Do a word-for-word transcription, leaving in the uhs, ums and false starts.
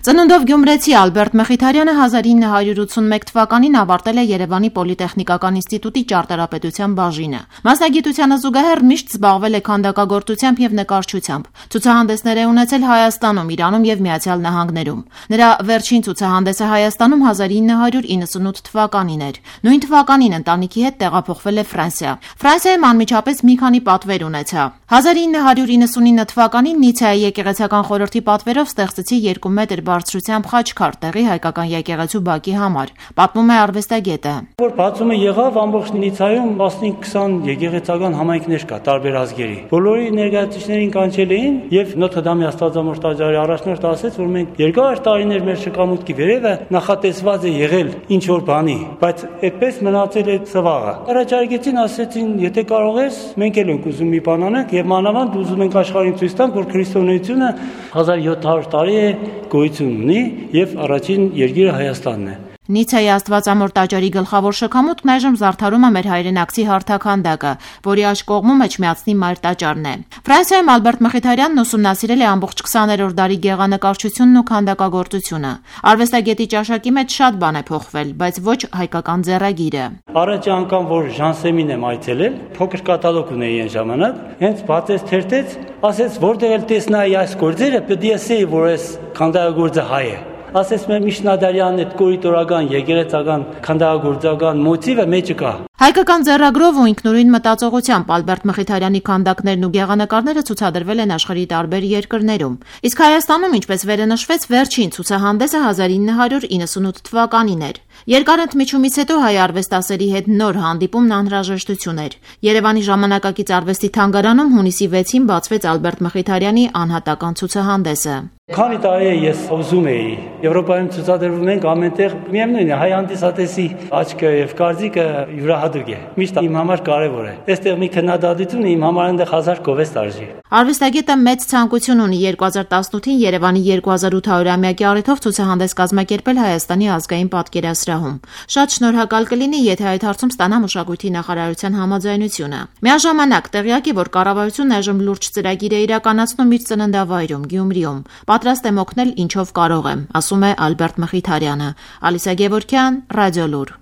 Ծնունդով գյումրեցի Ալբերտ Մխիթարյանը հազար ինը հարյուր ութսունմեկ թվականին ավարտել է Երևանի Պոլիտեխնիկական ինստիտուտի ճարտարապետության բաժինը։ Մասնագիտությանը զուգահեռ միշտ զբաղվել է քանդակագործությամբ եւ նկարչությամբ։ Ցուցահանդեսներ է ունեցել Հայաստանում, Իրանում եւ Միացյալ Նահանգներում։ Նրա վերջին ցուցահանդեսը Հայաստանում հազար ինը հարյուր իննսունութ թվականին էր։ Նույն թվականին ընտանիքի հետ տեղափոխվել է Ֆրանսիա։ Ֆրանսիայում անմիջապես մի քանի պատվեր ունեցա։ հազար ինը հարյուր իննսունինը թվականին Նիցեայի եկեղեցական խորհրդի պատվերով ստեղծեցի երկու մետր բարձրությամբ խաչքար տեղի հայկական եկեղեցու բակի համար, պատմում է արվեստագետը։ Որ բացումը եղավ, ամբողջ Նիցայում տասնհինգ քսան եկեղեցական համայնքներ կա տարբեր ազգերի։ Բոլորի ներկայացուցիչներին կանչել էին եւ Նոթր Դամի Աստվածամոր տաճարի առաջնորդը ասաց, որ մենք երկար տարիներ մեր շքամուտքի վերևը նախատեսված է եղել ինչ որ բանի, բայց այդպես մնացել է ծվաղը։ Առաջարկեցին, ասեցին, եթե կարող ես, մենք էլ ենք ուզում մի բան անենք եւ մանավանդ ուզում ենք աշխարհին ցույց տանք, որ քրիստոնեությունը հազար յոթ հարյուր տարի է գոյություն ունի եւ առաջին երկիրը Հայաստանն է։ Նիցեայի Աստվածամոր տաճարի գլխավոր շքամուտքն այժմ զարդարում է մեր հայրենակցի հարթաքանդակը, որի աջ կողմում Էջմիածնի մայր տաճարն է։ Ֆրանսիայում Ալբերտ Մխիթարյանն ուսումնասիրել է ամբողջ քսաներորդ դարի գեղանկարչությունն ու քանդակագործությունը։ Արվեստագետի ճաշակի մեջ շատ բան է փոխվել, բայց ոչ հայկական ձեռագիրը։ Առաջ անգամ որ Ժանսեմին եմ այցելել, փոքր կատալոգ ունեի այն ժամանակ, հենց բացեց թերթեց, ասեց որտեղ էլ տեսնայի այս գործերը, պետք է ասեի, որ այս քանդակագործը հայ է։ Ասես մեր Միշնադարյանն այդ կորիտորական, եկեղեցական, քանդակագործական մոտիվը մեջը կա։ Հայկական ձեռագրով ու ինքնուրույն մտածողությամբ Ալբերտ Մխիթարյանի քանդակներն ու գեղանկարները ցուցադրվել են աշխարհի տարբեր երկրներում։ Իսկ Հայաստանում, ինչպես վերը նշվեց, վերջին ցուցահանդեսը հազար ինը հարյուր իննսունութ թվականին էր։ Երկար ընդմիջումից հետո հայ արվեստասերի հետ նոր հանդիպումն անհրաժեշտություն էր։ Երևանի ժամանակակից արվեստի թանգարանում հունիսի վեցին բացվեց Ալբերտ Մխիթարյանի անհատական ցուցահանդեսը։ Քանի տարի է ես ուզում էի, Եվրոպայում ցուցադրվում ենք ամենտեղ, միևնույն է, հայ հանդիսատեսի աչքը եւ կարծիքը յուրահատուկ է։ Միշտ իմ համար կարեւոր է։ Այստեղ մի քննադատությունը իմ համար այնտեղ հազար գովեստ արժի։ Արվեստագետը մեծ ցանկություն ունի երկու հազար տասնութին Երևանի երկու հազար ութ հարյուրամյակի առիթով ցուցահանդես կազմակերպել Հայաստանի ազգային պատկերասրահում։ Շատ շնորհակալ կլինի, եթե այդ հարցում ստանա մշակույթի նախարարության համաձայնությունը։ Միաժամանակ տեղյակ է, որ կառավարությունն այժմ լուրջ ծրագիր է իրականացնում իր ծննդավայրում Գյումրիում։ Պատրաստ եմ օգնել ինչով կարող եմ, ասում է Ալբերտ Մխիթարյանը։ Ալիսա Գևորգյան, Ռադիոլուր։